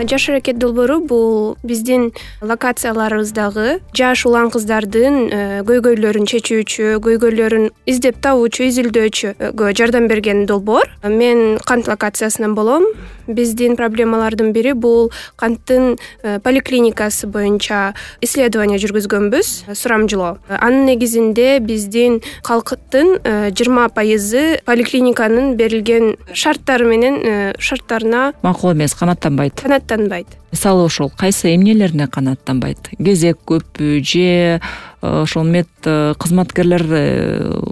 Жаш аракет долбоору бул биздин локацияларыбыздагы жаш улан кыздардын көйгөйлөрүн чечүүчү, көйгөйлөрүн издеп табуучу, изилдөөчүгө жардам берген долбоор. Мен кант локациясынан болом. Биздин проблемалардын бири бул канттын поликлиникасы боюнча исследование жүргүзгөнбүз, сурамжылоо. Анын негизинде биздин калктын 20% поликлиниканын берилген шарттары менен шарттарына макул эмес, канааттанбайт. Мисалы ошол кайсы эмнелерине канааттанбайт? Кезек көппү же ошол мед кызматкерлер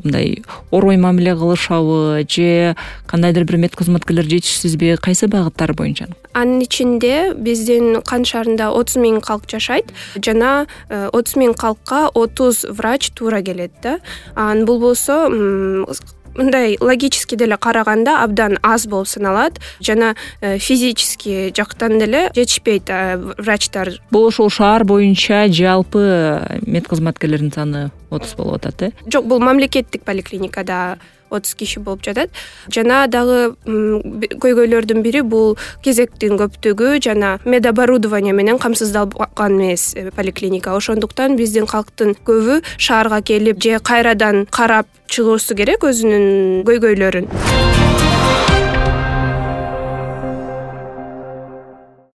мындай орой мамиле кылышабы же кандайдыр бир мед кызматкерлер жетишсизби? Кайсы багыттар боюнча? Анын ичинде биздин кант шаарында 30 000 калк жашайт жана 30 000 калкка 30 врач туура келет да. Анын бул болсо мындай логически деле караганда абдан аз болуп саналат жана физически жактан деле жетишпейт врачтар. Бул ошол шаар боюнча жалпы мед кызматкерлердин саны 30 болуп атат, Жок, бул мамлекеттик поликлиникада 30 киши болуп жатат. Жана дагы көйгөйлөрдүн бири бул кезектин көптүгү жана медоборудование менен камсыздалган эмес поликлиника. Ошондуктан биздин калктын көбү шаарга келип же кайрадан карап чыгуусу керек өзүнүн көйгөйлөрүн.